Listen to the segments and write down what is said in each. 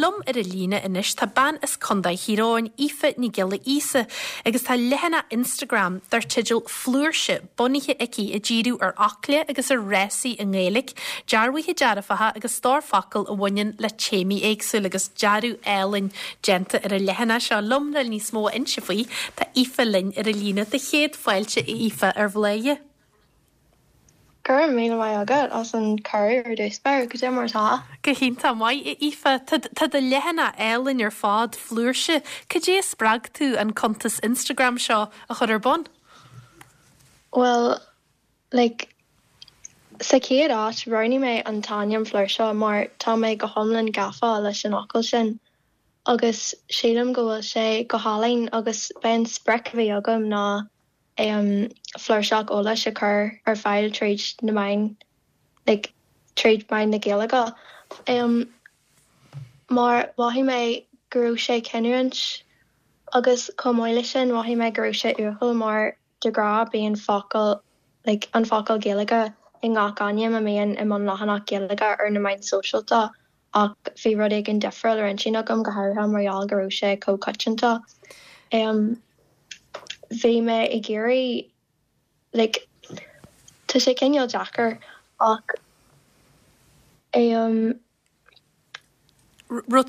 Liom ar an líne anois tá bean as Contae Thír Eoghain, Aoife Ní Ghiolla Íosa, agus tá leathanach Instagram dar teideal Flúirse bunaithe aici ag díriú ar fhocla agus ar fhrásaí i nGaeilge, dearbhuithe dearfacha agus stór focal a bhaineann le téamaí éagsúla agus dearadh álainn déanta ar an leathanach seo. Liom le níos mó a inse faoi, tá Aoife linn ar an líne. Do chéad fáilte a Aoife ar Bhladhaire. Go raibh míle maith agat as an cuireadh ar dtús báire. Cad é mar atá? Go hiontach maith, a Aoife. Tá tá do leathanach álainn ar fad, Flúirse. Cad é a spreag tú an cuntas Instagram seo a chur ar bun? Bhuel, like, sa chéad áit, roghnaigh mé an t-ainm Flúirse mar tá mé go hiomlán gafa leis an fhocal sin agus sílim go bhfuil sé go hálainn agus b'é an sprioc a bhí agam ná flúirseach eolais a chur ar fáil tríd na meáin, like, tríd meáin na Gaeilge. Mar mhothaigh mé go raibh sé cinniúint agus chomh maith leis sin mhothaigh mé go raibh sé uathúil mar de ghnáth bíonn focal, like, an focal Gaeilge i ngach ainm a mbíonn i mbunleathanach Gaeilge ar na meáin sóisialta ach bhí rud éigin difriúil ar intinn agam, go háirithe mar gheall go raibh sé chomh coitianta. Bhí mé ag iarraidh, like, tá sé cineál deacair ach. Raibh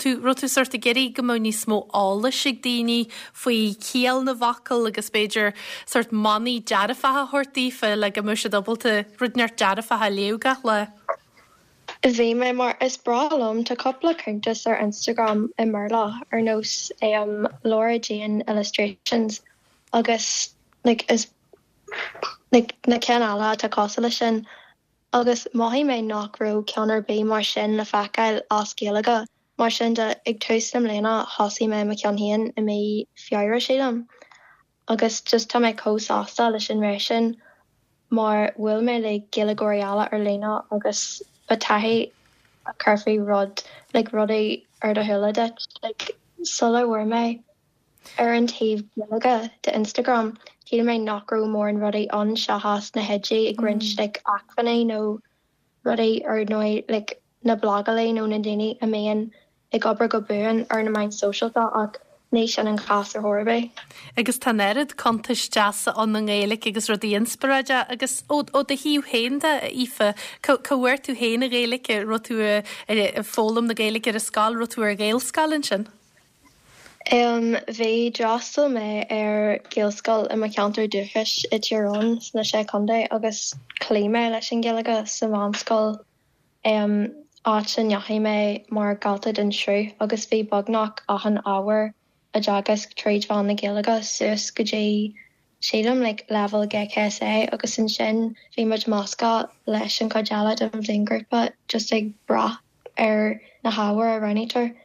tú, raibh tú sórt ag iarraidh go mbeadh níos mó eolais ag daoine faoi chiall na bhfocal agus b'fhéidir sórt manaí dearfacha a thabhairt daofa le go mbeadh siad ábalta rud inteacht dearfach a léamh gach lá? Bhí mé, mar is breá liom, tá cúpla cuntas ar Instagram i mBéarla ar nós Laura Jane Illustrations agus like is like na cinn eile atá cosúil leis sin agus mhothaigh mé nach raibh ceann ar bith mar sin le feiceáil as Gaeilge. Mar sin de, ag tús na mbliana thosaigh mé mo cheann féin i mí Feabhra sílim agus just tá mé chomh sásta leis an rith sin mar bhuail mé le Gaeilgeoirí eile ar líne agus ba taithí a chuirfeadh rud like rudaí ar do shúile duit like sula bhfuair mé ar an taobh Gaeilge de Instagram shíl mé nach raibh mórán rudaí ann seachas na hoidí ag roinnt like acmhainní nó rudaí ar ndóigh like na blagálaí nó na daoine a mbíonn ag obair go buan ar na meáin sóisialta ach ní sin an cás ar chor ar bith. Agus tá an oiread cuntais deasa ann i nGaeilge agus rudaí inspioráideacha agus ó do thaobh féin de, a Aoife, cá bhfuair tú féin an Ghaeilge? Raibh tú ag foghlaim na Gaeilge ar an scoil? Raibh tú ar Ghaelscoil ansin? Bhí, d'fhreastail mé ar Ghaelscoil i mo cheantar dúchais i Tír Eoghain sna Sé Chontae agus chloígh mé leis an Ghaeilge sa mheánscoil, áit a ndeachaigh mé mar dhalta den sruth agus bhí beagnach achan ábhar á dteagasc tríd mheán na Gaeilge suas go dtí, sílim, like leibhéal GCSE agus ansin bhí muid measctha leis an chuid eile den bhliainghrúpa just ag brath ar na hábhair a roghnaítear.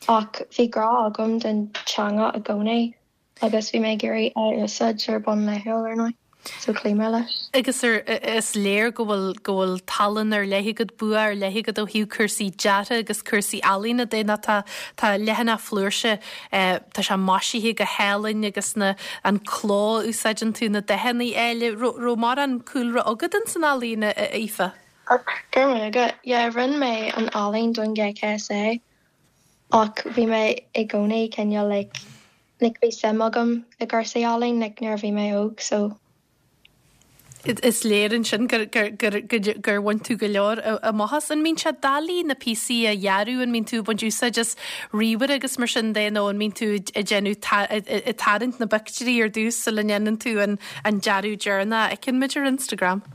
Ach bhí grá agam don teanga i gcónaí agus bhí mé ag iarraidh é a úsáid ar bhonn laethúil, ar ndóigh, so chloígh mé leis. Agus ar, is léir go bhfuil, go bhfuil tallann ar leith agat, bua ar leith agat ó thaobh cúrsaí deartha agus cúrsaí ealaíne de nó tá, tá leathanach Flúirse, tá sé maisithe go hálainn agus na, an cló a úsáideann tú, na dathanna áille. Raibh, raibh mórán cúlra agat ins an ealaín, a Aoife? Go raibh maith agat. Yeah, rinne mé an ealaín don GCSE ach bhí mé i gcónaí cineál like, like bhí suim agam i gcúrsaí ealaín like nuair a bhí mé óg so. Is léir ansin gur, gur, gur, gur bhain tú go leor amach as. An mbíonn sé doiligh na píosaí a dhearadh, an mbíonn tú ag baint úsáid as ríomhaire agus mar sin de nó an mbíonn tú ag déanamh, ag tarraingt na bpictiúirí ar dtús sula ndéanann tú an dearadh deireanach a fheiceann muid ar Instagram?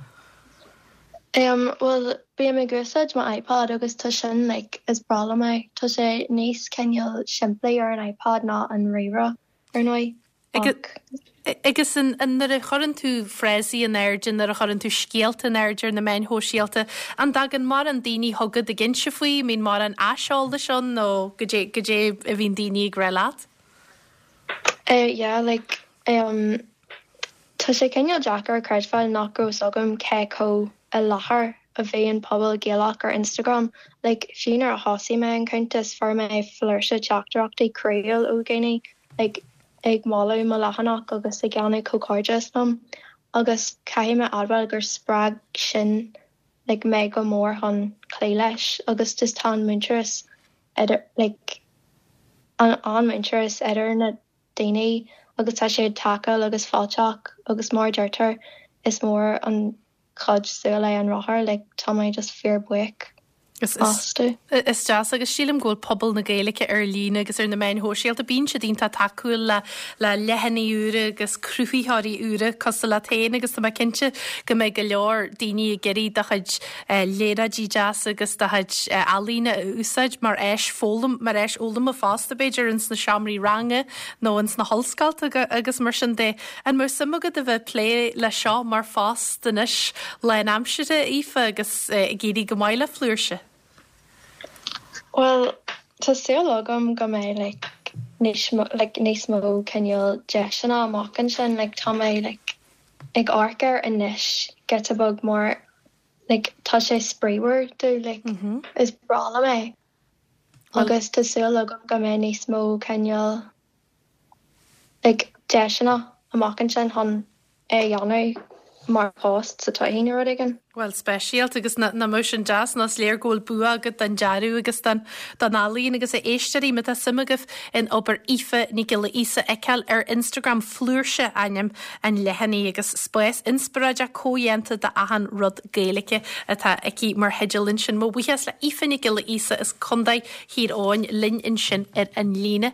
Em, bhuel, bím ag úsáid mo iPod agus tá sin like, is breá liom é. Tá sé níos cineál simplí ar an iPod ná an ríomhaire, ar ndóigh, ach. Agus an, an, nuair a chuireann tú frásaí in airde, nuair a chuireann tú scéalta in airde ar na meáin shóisialta, an dtagann mórán daoine chugat ag inse faoi, an mbíonn mórán aiseolais ann nó goidé, goidé a bhíonn daoine ag rá leat? Eh yeah, like, em, tá sé cineál deacair a chreidbheáil nach raibh 'fhios agam cé chomh i láthair a bhí an pobal Gaelach ar Instagram. Like, fiú nuair a thosaigh mé an cuntas, fuair mé flúirse teachtaireachtaí croíúil ó dhaoine, like, ag moladh mo leathanach agus ag déanamh comhghairdeas liom. Agus caithfidh mé admháil gur spreag sin, like, mé go mór chun cloí leis agus just tá an muintearas idir, like. an an-muintearas idir na daoine agus tá siad tacúil agus fáilteach agus mar a deirtear is mór an chuid saoil é an rothar like tá mé just fíor buíoch astu. Is deas agus sílim go bhfuil pobal na Gaeilge ar líne agus ar na meáin shóisialta, bíonn siad iontach tacúil le le leathanaigh úra agus cruthaitheoirí úra cosúil leat féin agus tá mé cinnte go mbeidh go leor daoine ag iarraidh do chuid léaráidí deasa agus do chuid ealaíne a úsáid mar áis foghlaim, mar áis fhoghlama fosta b'fhéidir ins na seomraí ranga nó ins na hollscolta agus mar sin de. An mbeadh suim agat a bheith ag plé leis seo mar phost anois lánaimseartha, Aoife, agus ag éirí go maith le Flúirse? Bhuel, tá súil agam go mbeidh like níos mó like níos mó cineál deiseanna amach ansin like tá mé like ag amharc air anois giota beag mar like tá sé spraíúil domh like is breá liom é agus tá súil agam go mbeidh níos mó cineál like deiseanna amach ansin chun é a dhéanamh mar phost sa todhchaí nó rud éigin. Bhuel, speisialta agus nach mbeadh sin deas nó is léir go bhfuil bua agat don dearadh agus don don ealaín agus a éisteoirí má tá suim agaibh in obair Aoife Nic Giolla Íosa a fheiceáil ar Instagram Flúirse ainm an leathanaigh agus spás inspioráideach comhdhéanta d'achan rud Gaeilge atá aici mar theideal ansin. Mo bhuíochas le Aoife Nic Giolla Íosa as Contae Thír Eoghain linn ansin ar an líne.